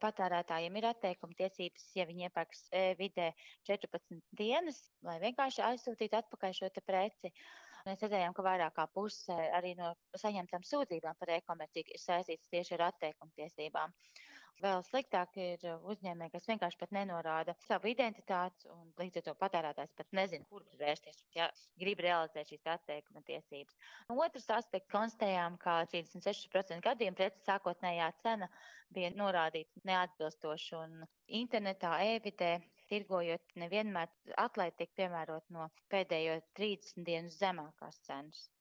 Patērētājiem ir atteikuma tiesības, ja viņi iepērks vidē 14 dienas, lai vienkārši aizsūtītu atpakaļ šo te preci. Mēs redzējām, ka vairāk kā puse arī no saņemtām sūdzībām par e-komerciju ir saistītas tieši ar atteikuma tiesībām. Vēl sliktāk ir uzņēmēji, kas vienkārši pat nenorāda savu identitāti, un līdz ar to patērētājs pat nezina, kur vērsties, ja grib realizēt šīs atteikuma tiesības. Otrs aspekts konstatējām, ka 36% gadiem preces sākotnējā cena bija norādīta neatbilstoši, un internetā, e-vidē tirgojot nevienmēr atlaide tiek piemērot no pēdējo 30 dienu zemākās cenas.